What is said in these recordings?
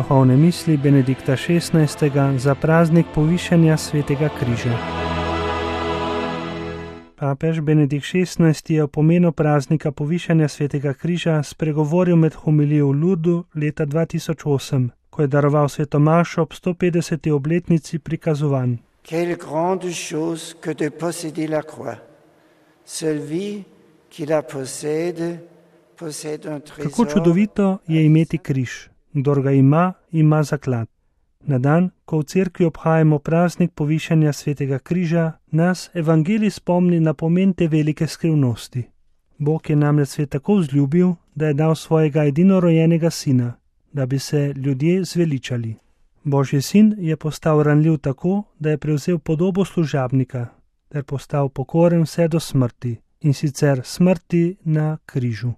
Duhovne misli Benedikta XVI. Za praznik povišanja svetega križa. Papež Benedikt XVI. Je o pomenu praznika povišanja svetega križa spregovoril med homilijo v Lourdu leta 2008, ko je daroval sveto mašo ob 150. obletnici prikazovanj. Quelle grande chose que de posséder la croix. Celui qui la possède un trésor. Kako čudovito je imeti križ. Kdor ga ima, ima zaklad. Na dan, ko v cerkvi obhajamo praznik povišanja svetega križa, nas evangelij spomni na pomen te velike skrivnosti. Bog je namreč svet tako vzljubil, da je dal svojega edinorojenega sina, da bi se ljudje zveličali. Božji sin je postal ranljiv tako, da je prevzel podobo služabnika, ter postal pokoren vse do smrti, in sicer smrti na križu.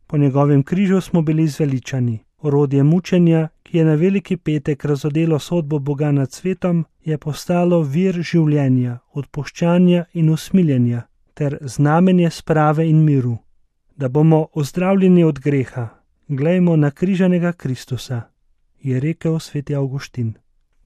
Po njegovem križu smo bili zveličani. Orodje mučenja, ki je na veliki petek razodelo sodbo Boga nad svetom, je postalo vir življenja, odpuščanja in usmiljenja, ter znamenje sprave in miru. Da bomo ozdravljeni od greha, glejmo na križanega Kristusa, je rekel sveti Avguštin.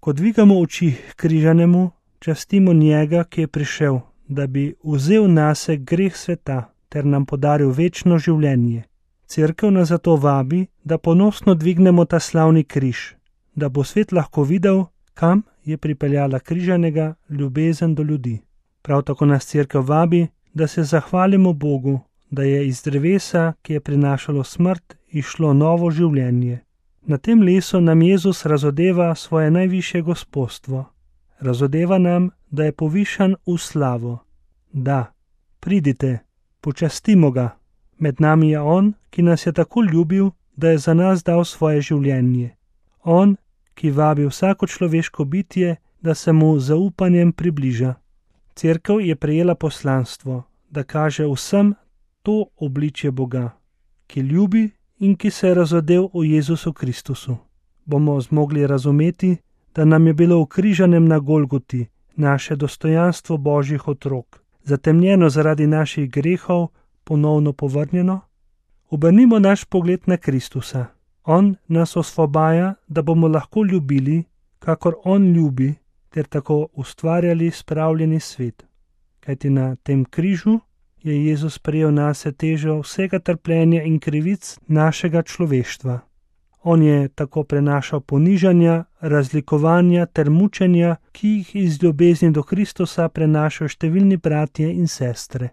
Ko dvigamo oči k križanemu, častimo njega, ki je prišel, da bi vzel nase greh sveta ter nam podaril večno življenje. Cerkev nas zato vabi, da ponosno dvignemo ta slavni križ, da bo svet lahko videl, kam je pripeljala križanega ljubezen do ljudi. Prav tako nas cerkev vabi, da se zahvalimo Bogu, da je iz drevesa, ki je prinašalo smrt, išlo novo življenje. Na tem lesu nam Jezus razodeva svoje najvišje gospostvo. Razodeva nam, da je povišan v slavo. Da, pridite, počastimo ga. Med nami je on, ki nas je tako ljubil, da je za nas dal svoje življenje. On, ki vabi vsako človeško bitje, da se mu z zaupanjem približa. Cerkev je prejela poslanstvo, da kaže vsem to obličje Boga, ki ljubi in ki se je razodel v Jezusu Kristusu. Bomo zmogli razumeti, da nam je bilo v križanem na Golgoti naše dostojanstvo Božjih otrok, zatemnjeno zaradi naših grehov, ponovno povrnjeno? Obrnimo naš pogled na Kristusa. On nas osvobaja, da bomo lahko ljubili, kakor on ljubi, ter tako ustvarjali spravljeni svet. Kajti na tem križu je Jezus prejel nase težo vsega trpljenja in krivic našega človeštva. On je tako prenašal ponižanja, razlikovanja ter mučenja, ki jih iz ljubezni do Kristusa prenašajo številni bratje in sestre.